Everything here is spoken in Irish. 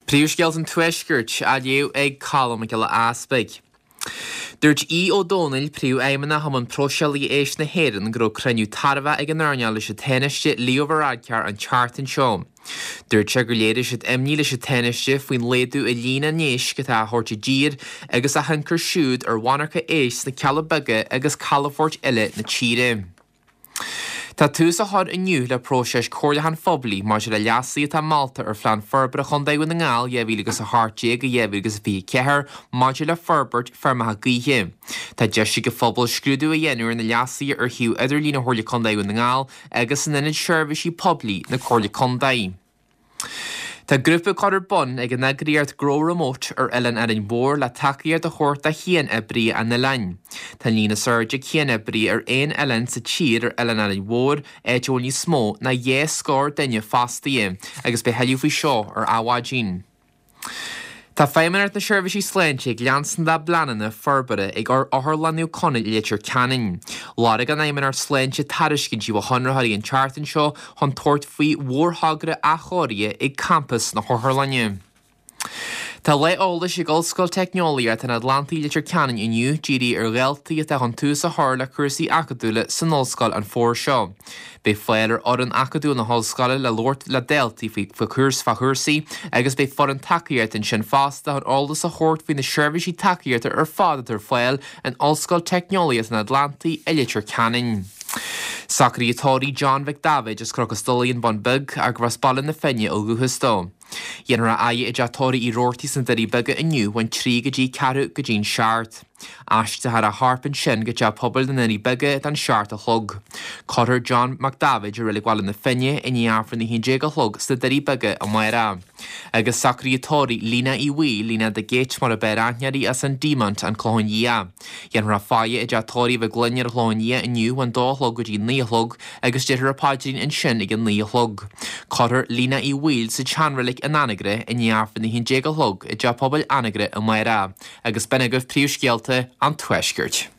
Príomhscéalta an Tuaiscirt á léamh ag Colm Mac Giolla Easpaig. Dúirt Aodh Ó Domhnaill, Príomhfheidhmeannach Chumann Próiseálaithe Éisc na hÉireann, go raibh cruinniú tairbheach ag an earnáil leis an Tánaiste Leo Varadkar an tseachtain seo. Dúirt sé gur léirigh siad imní leis an Tánaiste faoin laghdú i líon na n-éisc atá á thabhairt i dtír agus a thionchar siúd ar mhonarcha éisc sna Cealla Beaga agus calafoirt eile na tíre. Tá tús á chur inniu le próiseas comhairliúcháin phoiblí maidir le leasuithe atá molta ar Phlean Forbartha Chontae Dhún na nGall 2018-2024 maidir le forbairt feirmeacha gaoithe. Tá deis ag an phobal scrúdú a dhéanamh ar na leasuithe ar shuíomh idirlín Chomhairle Contae Dhún na nGall agus in Ionad Seirbhísí Poiblí na Comhairle Contae. Tá grúpa curtha ar bun ag an eagraíocht Grow Remote ar Oileán Árainn Mhór le tacaíocht a thabhairt do chian-oibrithe an oileáin. Tá an líon is airde cian-oibrithe ar aon oileán sa tír ar Oileán Árainn Mhór, áit a bhfuil níos mó ná 2 scór duine fostaithe, agus beidh thuilleadh faoi seo ar Adhmhaidin. Tá Feidhmeannacht na Seirbhísí Sláinte ag leanstan dá bpleananna forbartha ag Otharlann Naomh Conaill i Leitir Ceanainn. Lorg an Fheidhmeannacht Sláinte tairiscintí ó chonraitheoirí an tseachtain seo chun tabhairt faoi mhórthogra athchóirithe ag campas na hotharlainne. Tá lá eolais ag Ollscoil Teicneolaíochta an Atlantaigh i Leitir Ceanainn inniu dírithe ar dhaltaí atá chun tús a chur le cúrsaí acadúla san ollscoil an fómhar seo. Beidh fáil ar fhoireann acadúil na hollscoile le labhairt le daltaí faoi chúrsaí agus beidh foireann tacaíochta ansin fosta chun eolas a thabhairt faoi na seirbhísí tacaíochta ar fad atá ar fáil in Ollscoil Teicneolaíochta an Atlantaigh i Leitir Ceanainn. Socruithe tórraimh John Mhic Daibhéid as Cnoc an Stolaire, An Bun Beag, ach gurbh as Baile na Finne ó dhúchas dó. Dhéanfar a fhaire i dteach tórraimh Uí Robhartaigh sna Doirí Beaga inniu ón 3 go dtí ceathrú go dtí'n seacht. Aistreofar a chorp ansin go Teach Pobail na nDoirí Beaga don seacht a chlog. Cuirfear John Mac Daibhéid i Reilig Bhaile na Finne i ndiaidh Aifreann a 11 a chlog sna Doirí Beaga amárach. Agus socruithe tórraimh Lena Uí Bhaoill, Lena the Gate mar ab fhearr aithne uirthi as an Deamont, An Clochán Liath. Dhéanfar a faire i dteach tórraimh Mhic Gloinn ar an Chlochán Liath inniu ón dó a chlog go dtí 9 a chlog agus déarfar an paidrín ansin ag a 9 a chlog. Cuirfear Lena Uí Bhaoill sa tseanreilig in Anagaire i ndiaidh Aifreann a 11 a chlog i dTeach Pobail Anagaire amárach. Agus b'in agaibh príomhscéalta an Tuaiscirt.